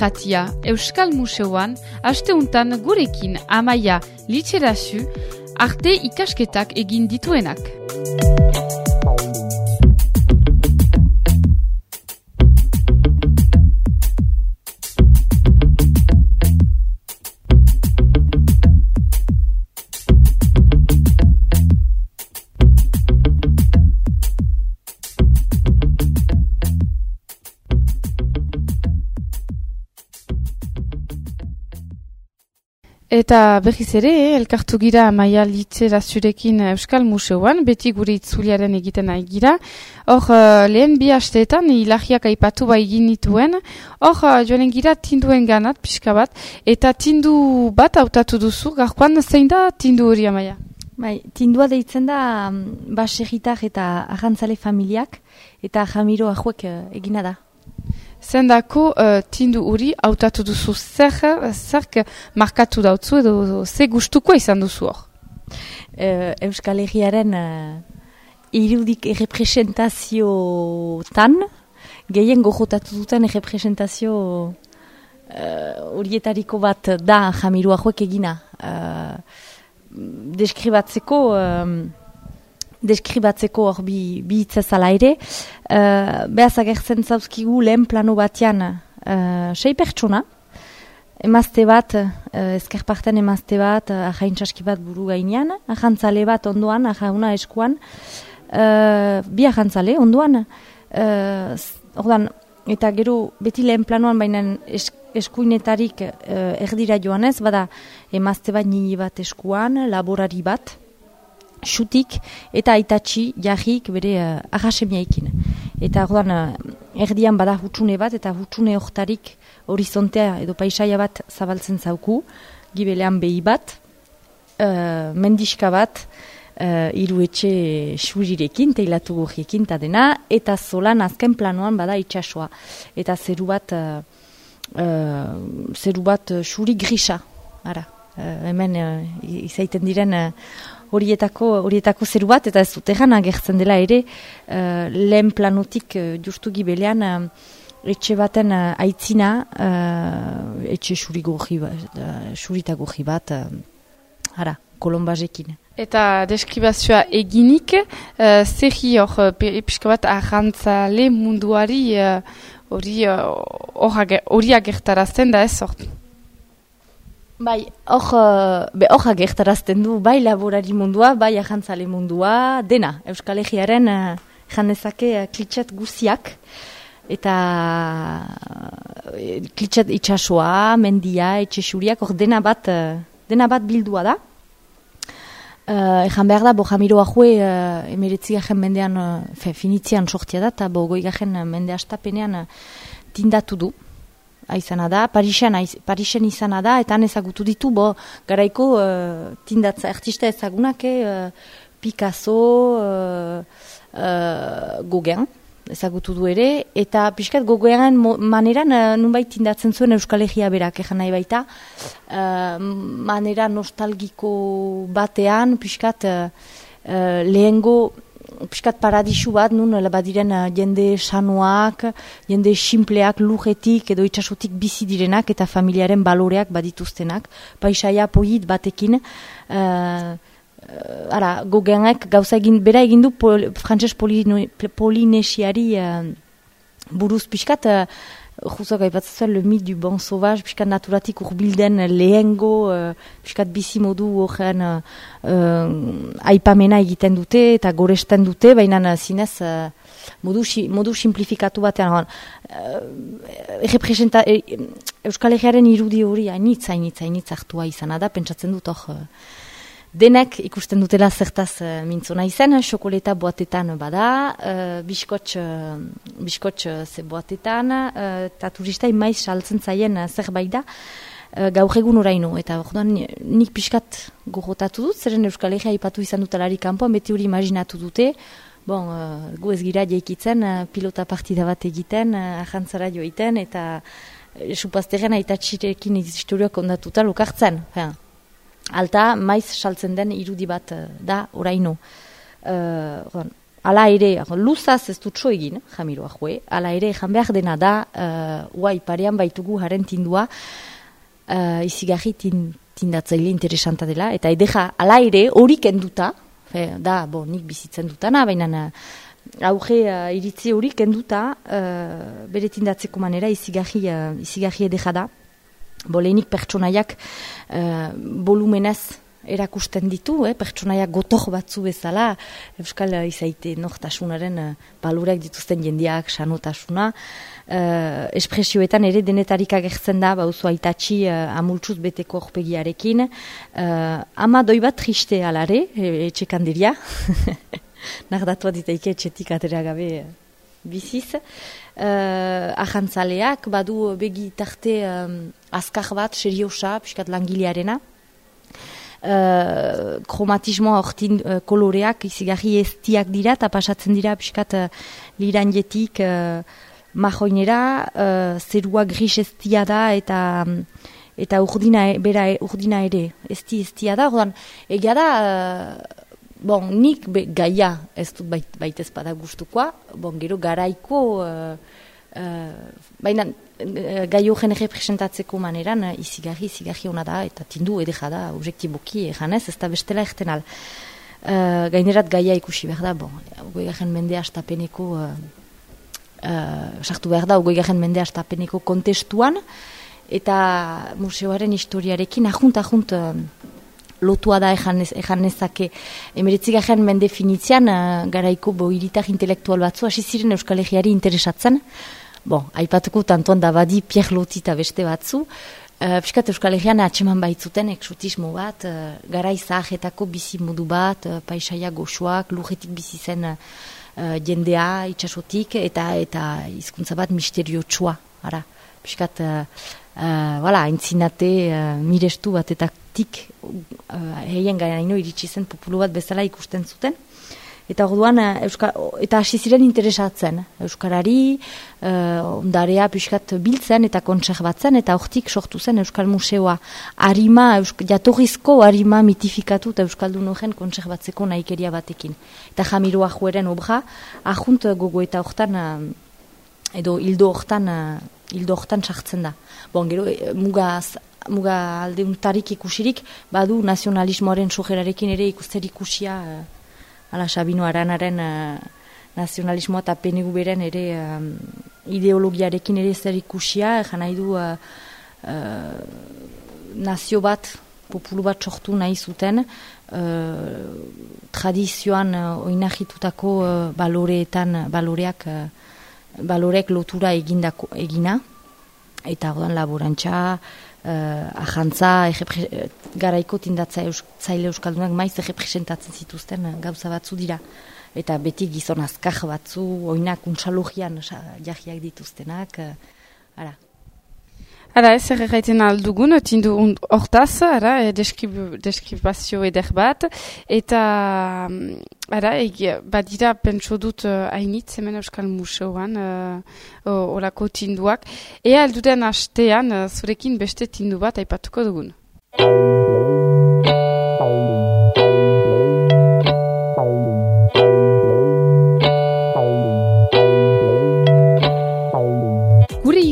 irratia, Euskal Museoan, asteuntan gurekin Amaia Litxerazu, arte ikasketak egin dituenak. Eta berriz ere, elkartu gira Amaia Litxerazurekin Euskal Museoan, beti gure itzuliaren egiten nahi gira. Hor, lehen bi asteetan, ilahiak aipatu egin nituen. Hor, joanen gira tinduen ganat, pixka bat. Eta tindu bat hautatu duzu, gaurkoan zein da tindu hori, Amaia? Bai, tindua deitzen da baserritar eta arrantzale familiak eta Jamiro ahuek egina da. Zendako tindu hori hautatu duzu zerk markatu dautzu edo ze gustuko izan duzu hor? Euskal Herriaren irudik errepresentaziotan, gehien gojotatu duten errepresentazio horietariko bat da Jamiro ahuek egina. Deskribatzeko hor bi hitzezala ere, behaz agertzen zauzkigu lehen plano batean 6 pertsona, emazte bat, ezkerparten emazte bat, ahaintzaski bat buru gainean, ahantzale bat ondoan, ahauna eskuan, bi ahantzale ondoan, ordan, eta gero beti lehen planoan baina eskuinetarik erdira joanez, bada emazte bat nini bat eskuan, laborari bat, xutik eta aitatxi jarrik bere ahasemiaikin. Eta ordan erdian bada hutsune bat eta hutsune hortarik horizontea edo paisaia bat zabaltzen zauku, gibelean behi bat, mendiska bat, hiru etxe xurirekin, teilatu gorriekin eta dena, eta zolan azken planoan bada itsasoa. Eta zeru bat xuri grisa, ara. Hemen izaiten diren horietako zeru bat, eta ez dut egan agertzen dela ere, lehen planotik justu gibelean etxe baten aitzina, etxe xurita gorri bat, kolombazekin. Eta deskribazioa eginik, zerri hor, pixka bat arrantzale munduari hori agertarazten da ez hort? Bai, hor agertarazten du, bai laborari mundua, bai ahantzale mundua, dena. Euskal Herriaren janezake klitxat guziak, eta klitxat itsasoa, mendia, etxesuriak, hor dena bat bildua da. Ejan behar da, Jamiro ahue emeretzi garen mendean, finitzian sortia da, eta goi garen mende astapenean tindatu du. Aizana da, Parisen izana da, eta han ezagutu ditu, garaiko tindatza artista ezagunak, Picasso, Gauguin, ezagutu du ere, eta pixkat Gauguinen maneran nunbait tindatzen zuen Euskal Herria berak, egan nahi baita, manera nostalgiko batean, pixkat lehengo, piskat paradisu bat, nun badiren jende sanoak, jende simpleak, lujetik edo itsasotik bizi direnak eta familiaren baloreak badituztenak, paisaia polit batekin. Gauguinek gauza bera egin du frantses polinesiari buruz piskat, juzak aipatzen zuen, le mythe du bon sauvage, piskat naturatik urbilden lehengo, piskat bizi modu horren aipamena egiten dute eta goresten dute, baina zinez modu simplifikatu batean. Euskal Herriaren irudi hori hainitz hartua izana da, pentsatzen dut hor. Denek ikusten dutela zertaz mintzona izan, xokoleta boatetan bada, biskotx ze boatetan, eta turistai maiz saltzen zaien zerbait da, gaur egun oraino. Eta nik pixkat gogotatu dut, zeren Euskal Herria aipatu izan dutelarik kanpoan, beti hori imaginatu dute, gu ez gira jaikitzen, pilota partida bat egiten, ahantzara joiten, eta supazteren aitatxirekin historioak ondatuta lokartzen. Alta, maiz saltzen den irudi bat da oraino. ala ere, luzaz ez dut so egin, Jamiroa joe, ala ere, jan behar dena da, parean baitugu haren tindua, izigarri tindatzaile interesanta dela, eta edeja, ala ere, hori kenduta, da, nik bizitzen dutana, baina auge iritzi hori kenduta, bere tindatzeko manera izigarri edeja da, lehenik pertsonaiak volumenez erakusten ditu, pertsonaiak gotor batzu bezala, euskal izaite nortasunaren baloreak dituzten jendeak, sanotasuna, espresioetan ere denetarik agertzen da, bauzu aitatxi amultsuz beteko horpegiarekin, ama doi bat triste alare, etxekandiria, nardatua ditaike etxetik atera gabe biziz, ajantzaleak, badu begi tarte azkar bat, seriosa, piskat langilearena, kromatismoa hortin koloreak izigarri eztiak dira, eta pasatzen dira piskat liranjetik mahoinera, zerua gris eztia da, eta urdina ere eztia da, ordan, egia da, nik gaia ez dut baitez bada gustukoa, gero garaiko, baina gai horren representatzeko maneran izigarri hona da, eta tindu edeja da, objektiboki eganez, ez da bestela egten al. Gainerat gaia ikusi behar da, goigarren mende astapeneko, sartu behar da, goigarren mende astapeneko kontestuan, eta museoaren historiarekin ajunt lotua da ejan nezake. 19. mende finitzean, garaiko hiritar intelektual batzu, hasi ziren Euskal Herriari interesatzen. Aipatuko tantoan da badi Pierre Loti eta beste batzu. Piskat Euskal Herrian atseman baitzuten eksotismo bat, garai zahetako bizi modu bat, paisaia goxoak, lurretik bizi zen jendea, itxasotik, eta hizkuntza bat misteriotsua. Piskat, aintzinate mirestu batetatik heien gainaino iritsi zen populu bat bezala ikusten zuten. Eta orduan, eta hasi ziren interesatzen. Euskarari, ondarea piskat biltzen eta kontserbatzen, eta hortik sortu zen Euskal Museoa. Jatorrizko harima mitifikatu eta Euskaldun horren kontserbatzeko nahikeria batekin. Eta Jamiroa joeren obra, ajunt gogo eta hortan, edo hildo hortan sartzen da. Gero, muga aldeuntarik ikusirik, badu nazionalismoaren sojerarekin ere ikuster ikusia, Sabino Aranaren nazionalismoa eta PNV-ren ere ideologiarekin ere zer ikusia, nahi du nazio bat, populu bat sortu nahi zuten, tradizioan oinahitutako baloreak lotura egina, eta ordan laborantza, ajantza, garaiko tindatzaile euskaldunak maiz representatzen zituzten gauza batzu dira. Eta beti gizon azkar batzu, oinak untsalogian jahiak dituztenak, ez erraiten aldugun, tindu hortaz, deskribazio eder bat, eta badira pentso dut hainitz hemen Euskal Museoan olako tinduak. Ea alduden hastean zurekin beste tindu bat aipatuko dugun.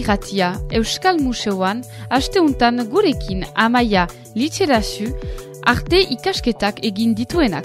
Irratia, Euskal Museoan, asteuntan gurekin Amaia Litxerazu arte ikasketak egin dituenak.